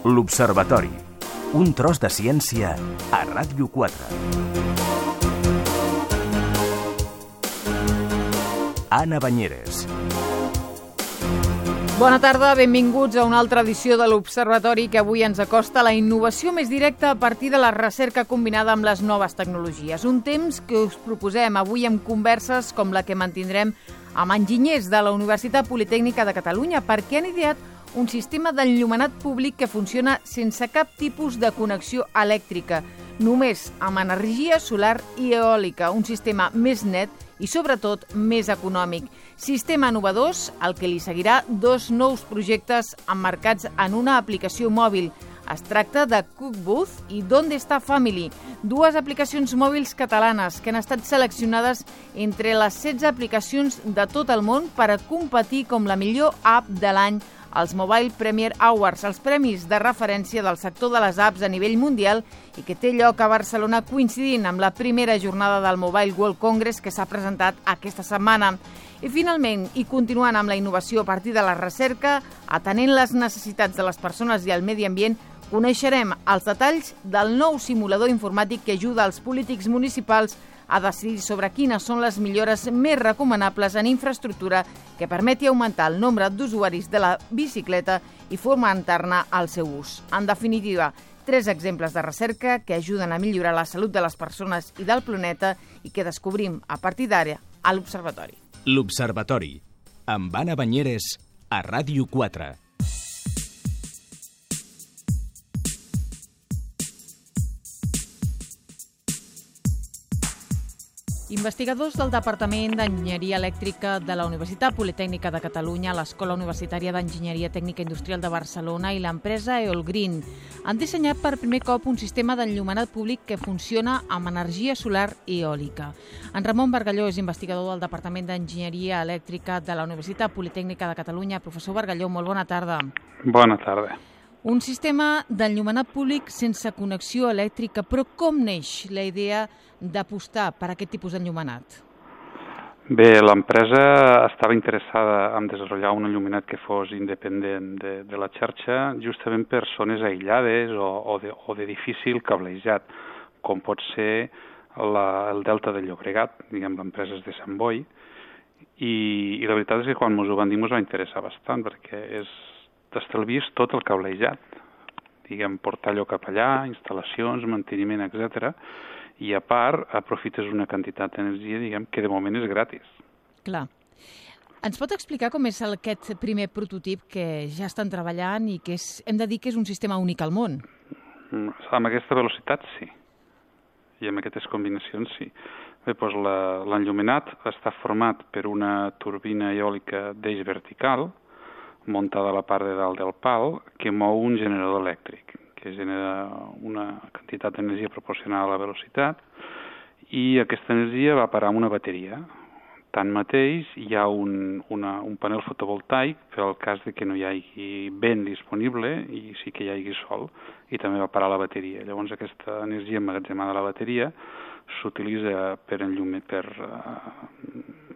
L'Observatori. Un tros de ciència a Ràdio 4. Anna Banyeres. Bona tarda, benvinguts a una altra edició de l'Observatori que avui ens acosta a la innovació més directa a partir de la recerca combinada amb les noves tecnologies. Un temps que us proposem avui amb converses com la que mantindrem amb enginyers de la Universitat Politècnica de Catalunya perquè han ideat un sistema d'enllumenat públic que funciona sense cap tipus de connexió elèctrica, només amb energia solar i eòlica, un sistema més net i, sobretot, més econòmic. Sistema innovador, al que li seguirà 2 nous projectes emmarcats en una aplicació mòbil. Es tracta de Cookbooth i Donde Está Family, 2 aplicacions mòbils catalanes que han estat seleccionades entre les 16 aplicacions de tot el món per a competir com la millor app de l'any als Mobile Premier Awards, els premis de referència del sector de les apps a nivell mundial i que té lloc a Barcelona coincidint amb la primera jornada del Mobile World Congress que s'ha presentat aquesta setmana. I finalment, i continuant amb la innovació a partir de la recerca, atenent les necessitats de les persones i el medi ambient, coneixerem els detalls del nou simulador informàtic que ajuda els polítics municipals a decidir sobre quines són les millores més recomanables en infraestructura que permeti augmentar el nombre d'usuaris de la bicicleta i fomentar-ne el seu ús. En definitiva, 3 exemples de recerca que ajuden a millorar la salut de les persones i del planeta i que descobrim a partir d'ara a l'Observatori. L'Observatori, amb Anna Banyeres, a Ràdio 4. Investigadors del Departament d'Enginyeria Elèctrica de la Universitat Politècnica de Catalunya, l'Escola Universitària d'Enginyeria Tècnica Industrial de Barcelona i l'empresa Eolgreen han dissenyat per primer cop un sistema d'enllumenat públic que funciona amb energia solar i eòlica. En Ramon Bargalló és investigador del Departament d'Enginyeria Elèctrica de la Universitat Politècnica de Catalunya. Professor Bargalló, molt bona tarda. Bona tarda. Un sistema d'enllumenat públic sense connexió elèctrica, però com neix la idea d'apostar per aquest tipus d'enllumenat? Bé, l'empresa estava interessada en desenvolupar un enllumenat que fos independent de la xarxa, justament per zones aïllades o de difícil cablejat, com pot ser el delta del Llobregat, diguem, l'empresa és de Sant Boi, i la veritat és que quan ens ho van dir ens va interessar bastant, perquè t'estalvies tot el cablejat, diguem, portar allò cap allà, instal·lacions, manteniment, etc. I a part aprofites una quantitat d'energia, diguem, que de moment és gratis. Clar. Ens pot explicar com és aquest primer prototip que ja estan treballant i que hem de dir que és un sistema únic al món? Amb aquesta velocitat, sí. I amb aquestes combinacions, sí. Bé, doncs l'enllumenat està format per una turbina eòlica d'eix vertical, muntada a la part de dalt del pal, que mou un generador elèctric, que genera una quantitat d'energia proporcional a la velocitat, i aquesta energia va parar en una bateria. Tanmateix, hi ha un panel fotovoltaic per al cas de que no hi hagi vent disponible i sí que hi hagi sol, i també va parar la bateria. Llavors, aquesta energia emmagatzemada a la bateria s'utilitza per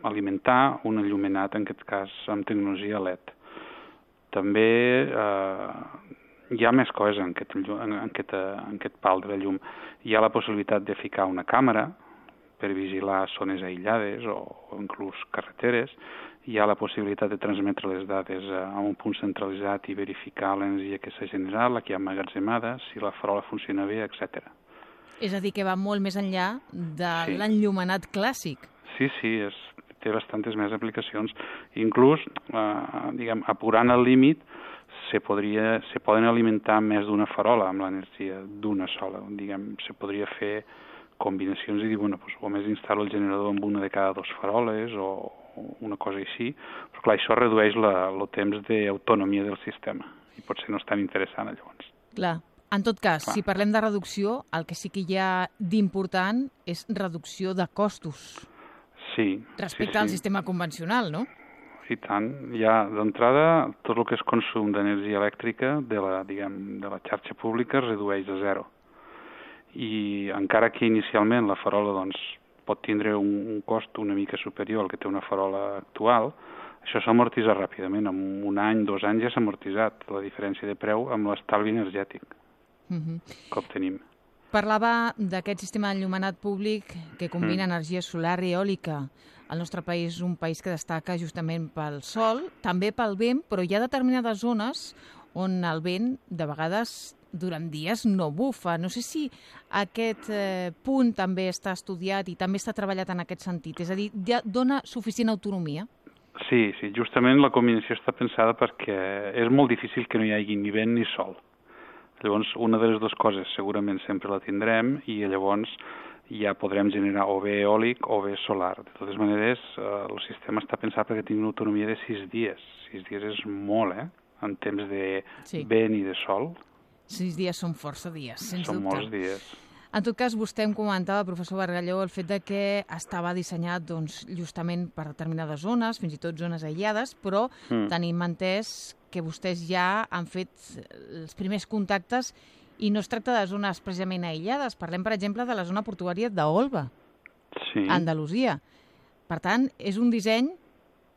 alimentar un enllumenat, en aquest cas amb tecnologia LED. També hi ha més coses en aquest pal de la llum. Hi ha la possibilitat de ficar una càmera per vigilar zones aïllades o inclús carreteres. Hi ha la possibilitat de transmetre les dades a un punt centralitzat i verificar l'energia que s'ha generat, la que hi ha emmagatzemada, si la farola funciona bé, etc. És a dir, que va molt més enllà de l'enllumenat clàssic. Sí, té bastantes més aplicacions. Inclús, diguem, apurant el límit, se poden alimentar més d'una farola amb l'energia d'una sola. Diguem, se podria fer combinacions i dir, bueno, doncs, o més instal·lo el generador amb una de cada 2 faroles o una cosa així, però clar, això redueix el temps d'autonomia del sistema i potser no és tan interessant, llavors. Clar. En tot cas, si parlem de reducció, el que sí que hi ha d'important és reducció de costos. Sí. Respecte al sistema convencional, no? I tant. Ja, d'entrada, tot el que és consum d'energia elèctrica de la xarxa pública es redueix a 0. I encara que inicialment la farola pot tindre un cost una mica superior al que té una farola actual, Això s'amortitza ràpidament, en un any, 2 anys ja s'ha amortitzat la diferència de preu amb l'estalvi energètic que obtenim. Parlava d'aquest sistema d'enllumenat públic que combina energia solar i eòlica. El nostre país és un país que destaca justament pel sol, també pel vent, però hi ha determinades zones on el vent, de vegades, durant dies no bufa. No sé si aquest punt també està estudiat i també està treballat en aquest sentit. És a dir, ja dona suficient autonomia? Sí, justament la combinació està pensada perquè és molt difícil que no hi hagi ni vent ni sol. Llavors, una de les dues coses segurament sempre la tindrem i llavors ja podrem generar o bé eòlic o bé solar. De totes maneres, el sistema està pensat perquè tingui una autonomia de 6 dies. 6 dies és molt, en temps de vent i de sol. 6 dies són força dies, sens dubte. Són molts dies. En tot cas, vostè em comentava, professor Bargalló, el fet de que estava dissenyat justament per determinades zones, fins i tot zones aïllades, però tenim entès que vostès ja han fet els primers contactes i no es tracta de zones precisament aïllades. Parlem, per exemple, de la zona portuària d'Olva, a Andalusia. Per tant, és un disseny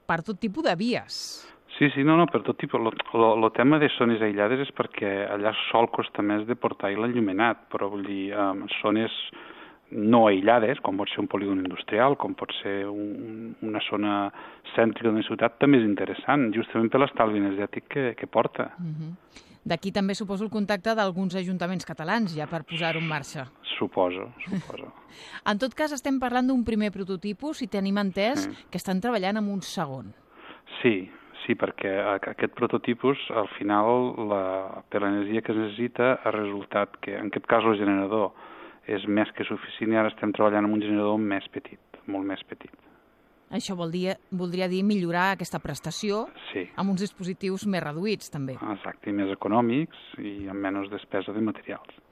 per tot tipus de vies. Sí, no, per tot tipus. El tema de zones aïllades és perquè allà sol costa més de portar l'enllumenat, però vull dir, zones no aïllades, com pot ser un polígon industrial, com pot ser una zona cèntrica d'una ciutat, també és interessant, justament per l'estalvi energètic que porta. D'aquí també suposo el contacte d'alguns ajuntaments catalans, ja per posar-ho en marxa. Suposo. En tot cas, estem parlant d'un primer prototipus i tenim entès que estan treballant en un segon. Sí, perquè aquest prototipus, al final, per l'energia que es necessita, ha resultat que, en aquest cas, el generador és més que suficient i ara estem treballant amb un generador més petit, molt més petit. Això voldria dir millorar aquesta prestació amb uns dispositius més reduïts, també. Exacte, i més econòmics i amb menys despesa de materials.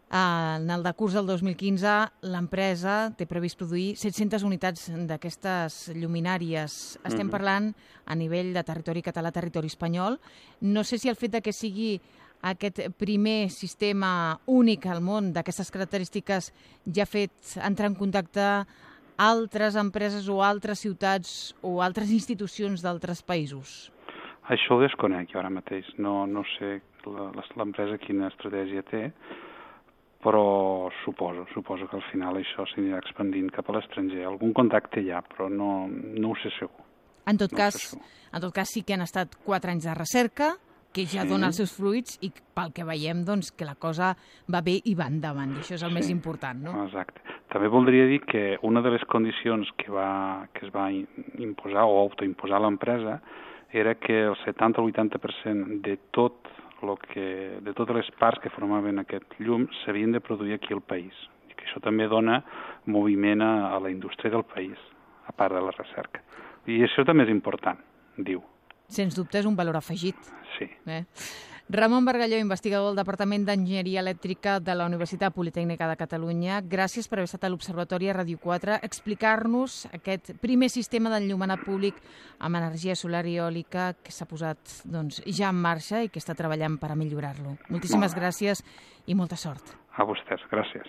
En el decurs del 2015, l'empresa té previst produir 700 unitats d'aquestes lluminàries. Estem parlant a nivell de territori català, territori espanyol. No sé si el fet de que sigui aquest primer sistema únic al món d'aquestes característiques ja ha fet entrar en contacte altres empreses o altres ciutats o altres institucions d'altres països. Això ho desconec jo ara mateix. No sé l'empresa quina estratègia té, però suposo que al final això s'anirà expandint cap a l'estranger. Algun contacte hi ha, però no ho sé segur. En tot cas, sí que han estat 4 anys de recerca, que ja dona els seus fruits i pel que veiem doncs, que la cosa va bé i va endavant, i això és el més important, no? Exacte. També voldria dir que una de les condicions que es va imposar o autoimposar l'empresa era que el 70 o 80% de totes les parts que formaven aquest llum s'havien de produir aquí al país. I que això també dona moviment a la indústria del país, a part de la recerca. I això també és important, diu. Sens dubte és un valor afegit. Sí. Ramon Bargalló, investigador del Departament d'Enginyeria Elèctrica de la Universitat Politècnica de Catalunya, gràcies per haver estat a l'Observatori a Ràdio 4 explicar-nos aquest primer sistema d'enllumenat públic amb energia solar i eòlica que s'ha posat ja en marxa i que està treballant per a millorar-lo. Moltíssimes gràcies i molta sort. A vostès, gràcies.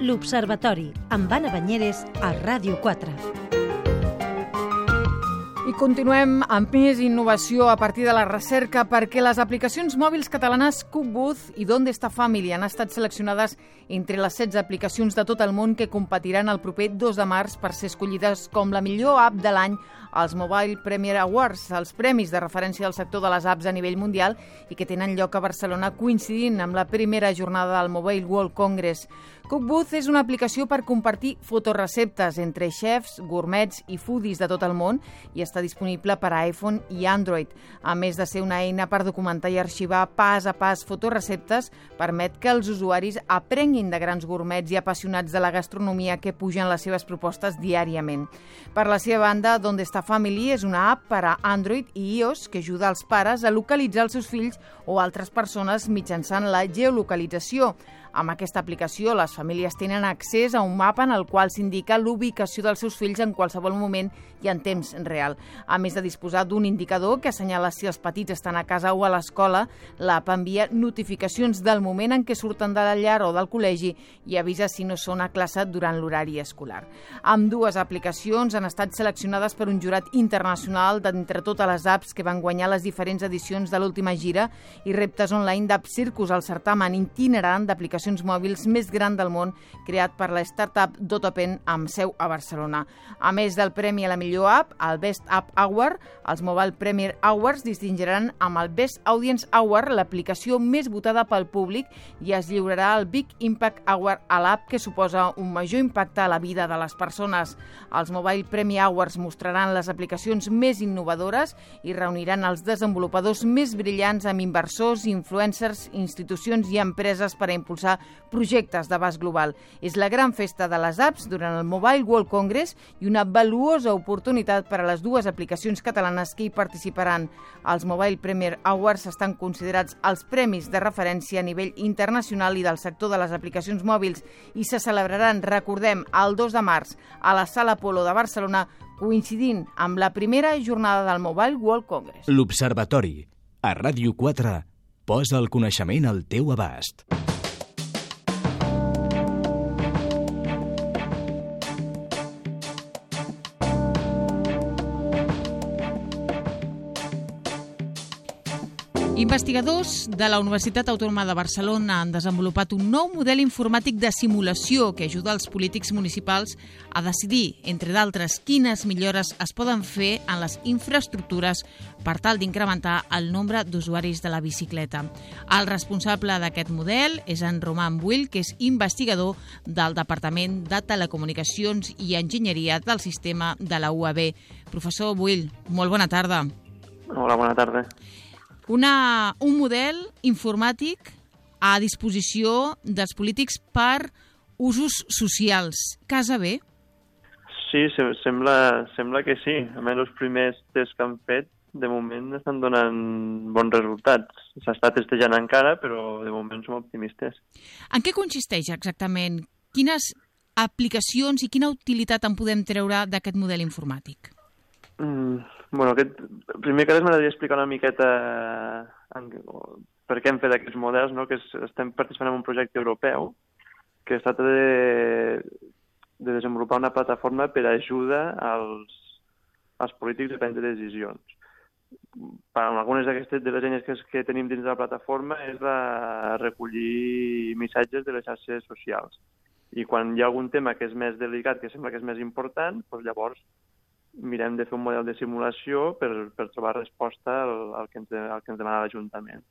L'Observatori, amb Anna Banyeres, a Ràdio 4. I continuem amb més innovació a partir de la recerca perquè les aplicacions mòbils catalanes Cookbooth i Donde Está Family han estat seleccionades entre les 16 aplicacions de tot el món que competiran el proper 2 de març per ser escollides com la millor app de l'any als Mobile Premier Awards, els premis de referència del sector de les apps a nivell mundial i que tenen lloc a Barcelona coincidint amb la primera jornada del Mobile World Congress. Cookbooth és una aplicació per compartir fotoreceptes entre xefs, gourmets i foodies de tot el món i està disponible per a iPhone i Android. A més de ser una eina per documentar i arxivar pas a pas fotoreceptes, permet que els usuaris aprenguin de grans gourmets i apassionats de la gastronomia que pugen les seves propostes diàriament. Per la seva banda, Donde Está Family és una app per a Android i iOS que ajuda els pares a localitzar els seus fills o altres persones mitjançant la geolocalització. Amb aquesta aplicació, les famílies tenen accés a un mapa en el qual s'indica l'ubicació dels seus fills en qualsevol moment i en temps real. A més de disposar d'un indicador que assenyala si els petits estan a casa o a l'escola, l'app envia notificacions del moment en què surten de la llar o del col·legi i avisa si no són a classe durant l'horari escolar. Ambdues aplicacions han estat seleccionades per un jurat internacional d'entre totes les apps que van guanyar les diferents edicions de l'última gira i reptes online d'App Circus, el certamen itinerant d'aplicacions mòbils més gran del món creat per la startup Dotopen amb seu a Barcelona. A més del premi a la millor app, el Best App Award, els Mobile Premier Awards distingiran amb el Best Audience Award l'aplicació més votada pel públic i es lliurarà el Big Impact Award a l'app que suposa un major impacte a la vida de les persones. Els Mobile Premier Awards mostraran les aplicacions més innovadores i reuniran els desenvolupadors més brillants amb inversors, influencers, institucions i empreses per a impulsar projectes d'abast global. És la gran festa de les apps durant el Mobile World Congress i una valuosa oportunitat per a les dues aplicacions catalanes que hi participaran. Els Mobile Premier Awards estan considerats els premis de referència a nivell internacional i del sector de les aplicacions mòbils i se celebraran, recordem, el 2 de març a la Sala Apolo de Barcelona, coincidint amb la primera jornada del Mobile World Congress. L'Observatori, a Ràdio 4, posa el coneixement al teu abast. Investigadors de la Universitat Autònoma de Barcelona han desenvolupat un nou model informàtic de simulació que ajuda els polítics municipals a decidir, entre d'altres, quines millores es poden fer en les infraestructures per tal d'incrementar el nombre d'usuaris de la bicicleta. El responsable d'aquest model és en Roman Buil, que és investigador del Departament de Telecomunicacions i Enginyeria del Sistema de la UAB. Professor Buil, molt bona tarda. Hola, bona tarda. Un model informàtic a disposició dels polítics per usos socials. Casa bé? Sí, sembla que sí. A més, els primers tests que han fet, de moment, estan donant bons resultats. S'està testejant encara, però de moment som optimistes. En què consisteix exactament? Quines aplicacions i quina utilitat en podem treure d'aquest model informàtic? Primer que res m'agradaria explicar una miqueta per què hem fet aquests models, no? Que estem participant en un projecte europeu que es tracta de desenvolupar una plataforma per ajuda als polítics a prendre decisions. Algunes d'aquestes de les eines que tenim dins de la plataforma és recollir missatges de les xarxes socials. I quan hi ha algun tema que és més delicat, que sembla que és més important, doncs llavors mirem de fer un model de simulació per trobar resposta al que ens demana l'Ajuntament.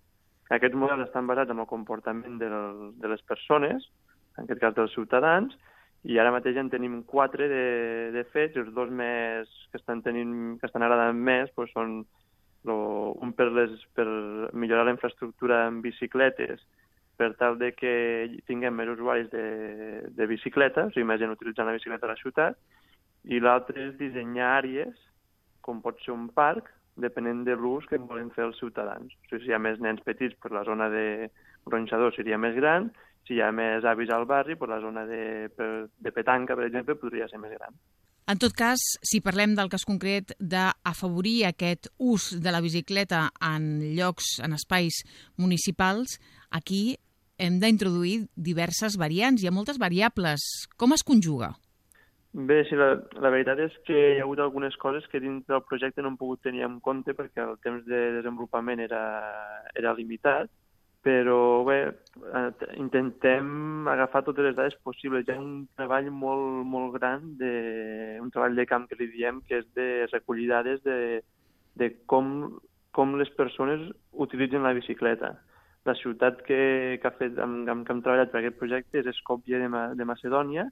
Aquests models estan basats en el comportament de les persones, en aquest cas dels ciutadans, i ara mateix en tenim 4 de fets, els 2 més que estan agradant més doncs són un per millorar la infraestructura en bicicletes per tal de que tinguem més usuaris de bicicleta, o sigui, més gent utilitzant la bicicleta a la ciutat, i l'altre és dissenyar àrees, com pot ser un parc, depenent de l'ús que volen fer els ciutadans. O sigui, si hi ha més nens petits, la zona de gronxador seria més gran, si hi ha més avis al barri, la zona de petanca, per exemple, podria ser més gran. En tot cas, si parlem del cas concret d'afavorir aquest ús de la bicicleta en llocs, en espais municipals, aquí hem d'introduir diverses variants, hi ha moltes variables. Com es conjuga? Bé, sí, la veritat és que hi ha hagut algunes coses que dins del projecte no hem pogut tenir en compte perquè el temps de desenvolupament era limitat, però bé, intentem agafar totes les dades possibles. Hi ha un treball molt, molt gran, un treball de camp que li diem, que és de recollir dades de com les persones utilitzen la bicicleta. La ciutat que hem treballat per aquest projecte és Skopje de Macedònia,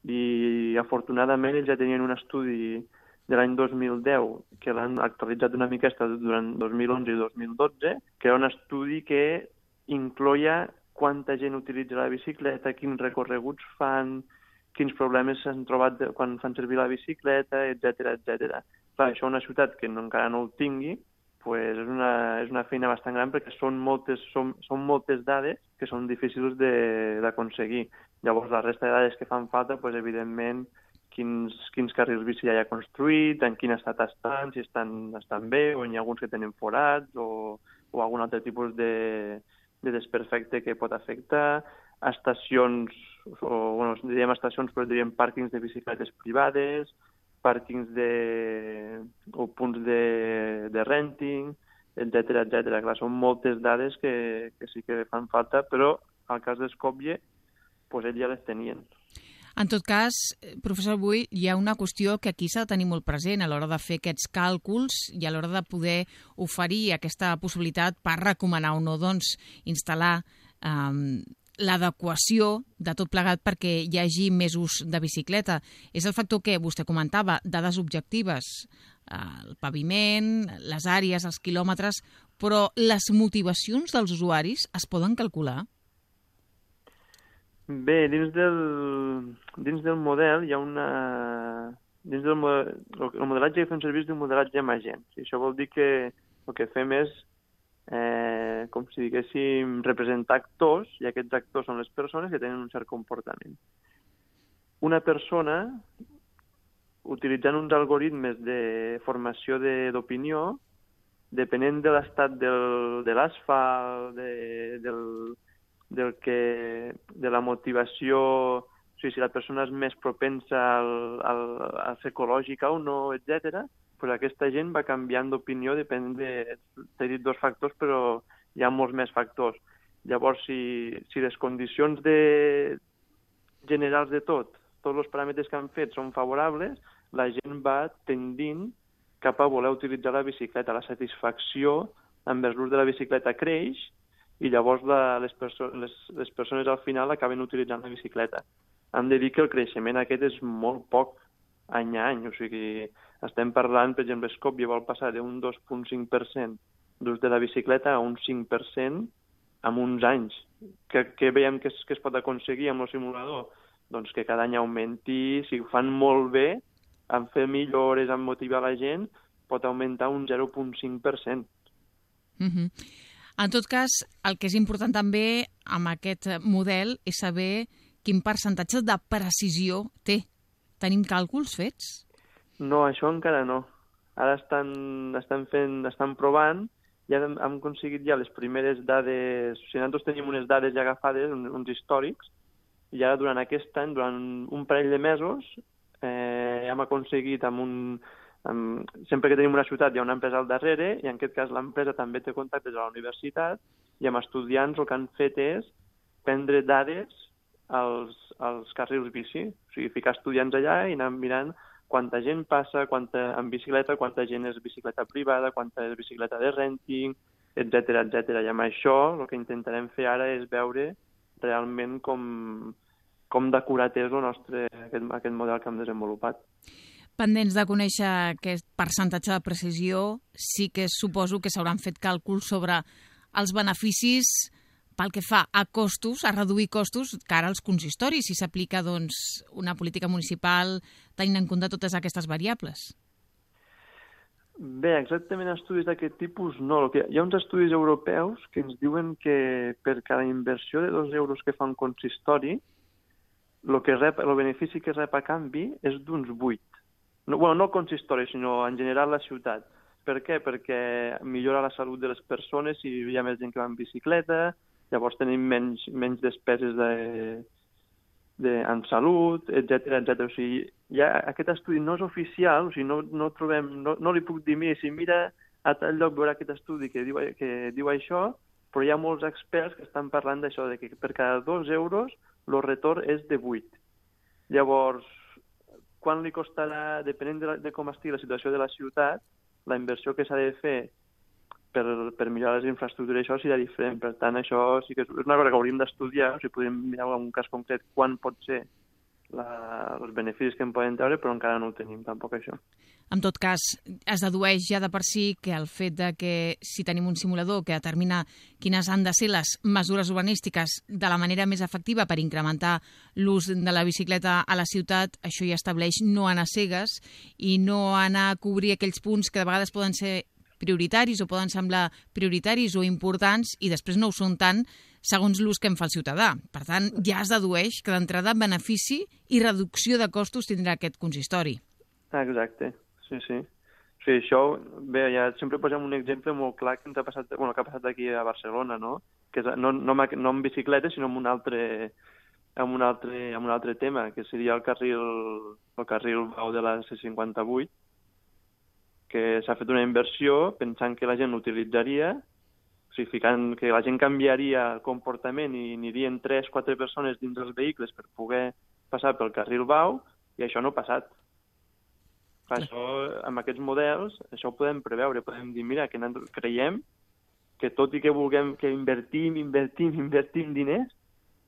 i afortunadament ells ja tenien un estudi de l'any 2010 que l'han actualitzat una miqueta durant 2011 i 2012, que era un estudi que incloïa quanta gent utilitza la bicicleta, quins recorreguts fan, quins problemes s'han trobat quan fan servir la bicicleta, etc. Clar, això una ciutat que encara no ho tingui, és una feina bastant gran perquè són moltes dades que són difícils d'aconseguir. Llavors, la resta de dades que fan falta, evidentment, quins carrils bici ja hi ha construït, en quin estat estan, si estan bé, o n'hi ha alguns que tenen forats, o algun altre tipus de desperfecte que pot afectar, estacions, diríem estacions, però diríem pàrquings de bicicletes privades, pàrquings o punts de renting, etcètera. Clar, són moltes dades que sí que fan falta, però al cas d'Skopje, ells ja les tenien. En tot cas, professor Bull, hi ha una qüestió que aquí s'ha de tenir molt present a l'hora de fer aquests càlculs i a l'hora de poder oferir aquesta possibilitat per recomanar o no instal·lar l'adequació de tot plegat perquè hi hagi més ús de bicicleta. És el factor que vostè comentava, dades objectives, el paviment, les àrees, els quilòmetres, però les motivacions dels usuaris es poden calcular? Bé, dins del model hi ha el modelatge que fem servir és un modelatge amb agents. I això vol dir que el que fem és, com si diguéssim, representar actors, i aquests actors són les persones que tenen un cert comportament. Una persona, utilitzant uns algoritmes de formació d'opinió, depenent de l'estat de l'asfalt, de la motivació, o sigui, si la persona és més propensa a ser ecològica o no, etc., aquesta gent va canviant d'opinió, depèn t'he dit 2 factors, però hi ha molts més factors. Llavors, si les condicions generals de tots els paràmetres que han fet són favorables, la gent va tendint cap a voler utilitzar la bicicleta. La satisfacció envers l'ús de la bicicleta creix, i llavors les persones al final acaben utilitzant la bicicleta. Hem de dir que el creixement aquest és molt poc any a any, o sigui, estem parlant, per exemple, Skopje vol passar d'un 2,5% d'ús de la bicicleta a un 5% en uns anys. Què veiem que es pot aconseguir amb el simulador? Doncs que cada any augmenti, si ho fan molt bé, en fer millores, en motivar la gent, pot augmentar un 0,5%. En tot cas, el que és important també amb aquest model és saber quin percentatge de precisió té. Tenim càlculs fets? No, això encara no. Ara estan provant, ja hem aconseguit ja les primeres dades, o sigui, nosaltres tenim unes dades ja agafades, uns històrics, i ara durant aquest any, durant un parell de mesos, hem aconseguit sempre que tenim una ciutat hi ha una empresa al darrere, i en aquest cas l'empresa també té contactes a la universitat, i amb estudiants el que han fet és prendre dades als carrils bici, o sigui, ficar estudiants allà i anar mirant quanta gent passa, en bicicleta, quanta gent és bicicleta privada, quanta és bicicleta de renting, etc. I amb això el que intentarem fer ara és veure realment com d'acurat és aquest model que hem desenvolupat. Pendents de conèixer aquest percentatge de precisió, sí que suposo que s'hauran fet càlculs sobre els beneficis pel que fa a costos, a reduir costos cara als consistoris, si s'aplica una política municipal tenint en compte totes aquestes variables. Bé, exactament estudis d'aquest tipus no. Hi ha uns estudis europeus que ens diuen que per cada inversió de 2 euros que fa un consistori, el benefici que rep a canvi és d'uns 8. No el consistori, sinó en general la ciutat. Per què? Perquè millora la salut de les persones si hi ha més gent que va en bicicleta, llavors tenim menys despeses en salut, etc. O sigui, aquest estudi no és oficial, o sigui, no trobem, no li puc dir, si mira a tal lloc veurà aquest estudi que diu això, però hi ha molts experts que estan parlant d'això, que per cada 2 euros el retorn és de 8. Llavors, quan li costarà, depenent de com estigui la situació de la ciutat, la inversió que s'ha de fer per millorar les infraestructures, això serà diferent. Per tant, això sí que és una cosa que hauríem d'estudiar, o sigui, podríem mirar en un cas concret quan pot ser els beneficis que en poden treure, però encara no ho tenim tampoc, això. En tot cas, es dedueix ja de per si que el fet de que si tenim un simulador que determina quines han de ser les mesures urbanístiques de la manera més efectiva per incrementar l'ús de la bicicleta a la ciutat, això ja estableix no anar cegues i no anar a cobrir aquells punts que de vegades poden ser prioritaris o poden semblar prioritaris o importants i després no ho són tant segons l'ús que en fa el ciutadà. Per tant, ja es dedueix que d'entrada benefici i reducció de costos tindrà aquest consistori. Exacte, sí. Sí, això, bé, ja sempre posem un exemple molt clar que ens ha passat, que ha passat aquí a Barcelona, no? Que és, no en bicicleta, sinó en un altre tema, que seria el carril bau de la C58, que s'ha fet una inversió pensant que la gent l'utilitzaria, o sigui, ficant que la gent canviaria el comportament i anirien 3-4 persones dins dels vehicles per poder passar pel carril bau, i això no ha passat. Això, amb aquests models, això ho podem preveure, podem dir, mira, que creiem que tot i que vulguem que invertim diners,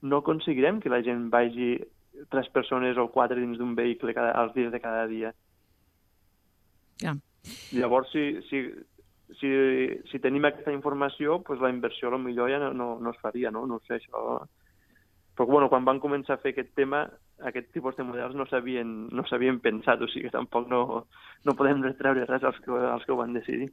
no aconseguirem que la gent vagi 3 persones o 4 dins d'un vehicle als dies de cada dia. Ja. Llavors, si tenim aquesta informació, doncs la inversió potser ja no es faria, no? No sé, això... Però bueno, quan van començar a fer aquest tema, aquest tipus de models no s'havien pensat, o sigui que tampoc no podem retreure res als que ho van decidir.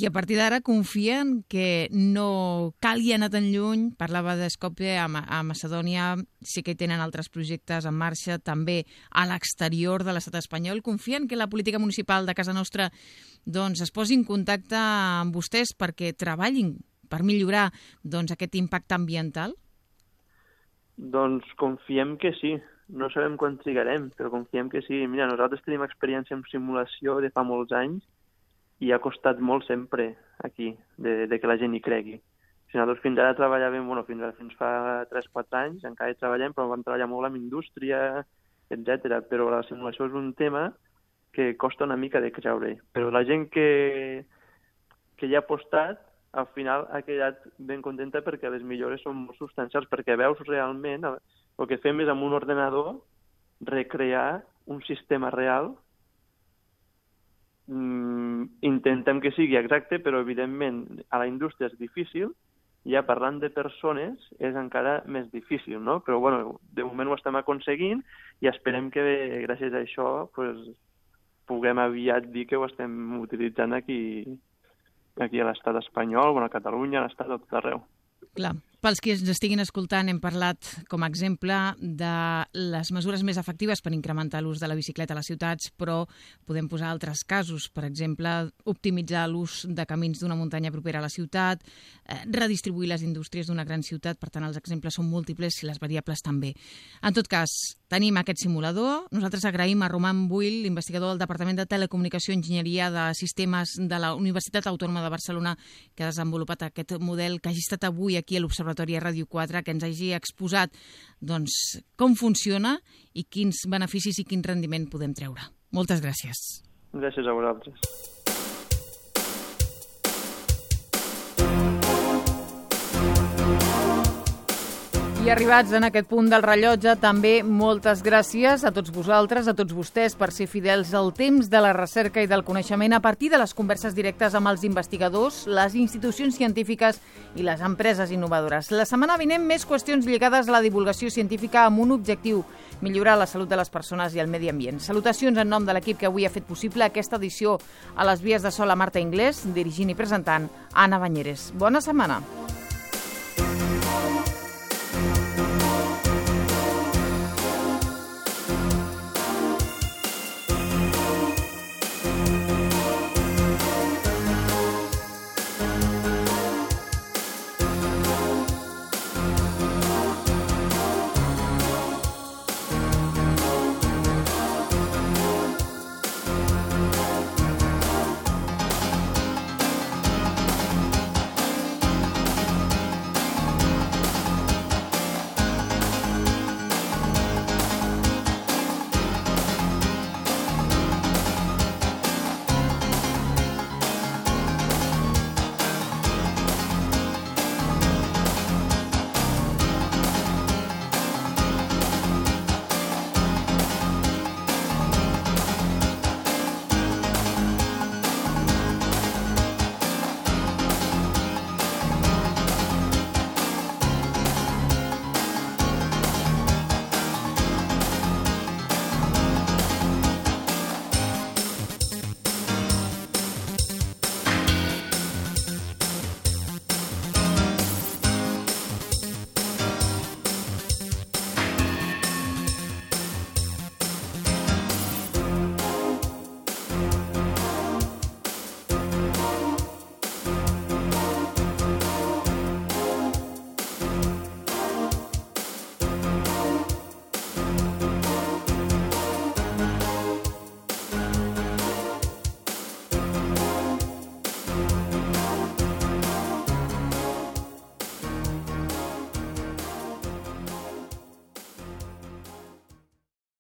I a partir d'ara confien que no calgui anar tan lluny. Parlava d'Skopje, a Macedònia sí que hi tenen altres projectes en marxa, també a l'exterior de l'estat espanyol. Confien que la política municipal de casa nostra doncs, es posi en contacte amb vostès perquè treballin per millorar aquest impacte ambiental? Doncs confiem que sí. No sabem quan trigarem, però confiem que sí. Mira, nosaltres tenim experiència en simulació de fa molts anys i ha costat molt sempre aquí de que la gent hi cregui. Nosaltres fins ara treballàvem, fins fa 3-4 anys, encara hi treballem, però vam treballar molt amb indústria, etc. Però la simulació és un tema que costa una mica de creure. Però la gent que hi ha apostat, al final ha quedat ben contenta perquè les millores són molt substancials, perquè veus realment, el que fem és amb un ordenador recrear un sistema real. Intentem que sigui exacte, però evidentment a la indústria és difícil, ja parlant de persones és encara més difícil, no? Però bueno, de moment ho estem aconseguint i esperem que gràcies a això puguem aviat dir que ho estem utilitzant aquí a l'estat espanyol, a Catalunya, a l'estat, a tot arreu. Clar. Pels que ens estiguin escoltant, hem parlat com a exemple de les mesures més efectives per incrementar l'ús de la bicicleta a les ciutats, però podem posar altres casos, per exemple, optimitzar l'ús de camins d'una muntanya propera a la ciutat, redistribuir les indústries d'una gran ciutat, per tant, els exemples són múltiples i les variables també. En tot cas, tenim aquest simulador. Nosaltres agraïm a Roman Buil, investigador del Departament de Telecomunicació i Enginyeria de Sistemes de la Universitat Autònoma de Barcelona, que ha desenvolupat aquest model, que hagi estat avui aquí a l'Observatori a Ràdio 4, que ens hagi exposat com funciona i quins beneficis i quin rendiment podem treure. Moltes gràcies. Gràcies a vosaltres. I arribats en aquest punt del rellotge, també moltes gràcies a tots vosaltres, a tots vostès, per ser fidels al temps de la recerca i del coneixement a partir de les converses directes amb els investigadors, les institucions científiques i les empreses innovadores. La setmana vinent, més qüestions lligades a la divulgació científica amb un objectiu: millorar la salut de les persones i el medi ambient. Salutacions en nom de l'equip que avui ha fet possible aquesta edició. A les vies de so, la Marta Inglés, dirigint i presentant Anna Banyeres. Bona setmana.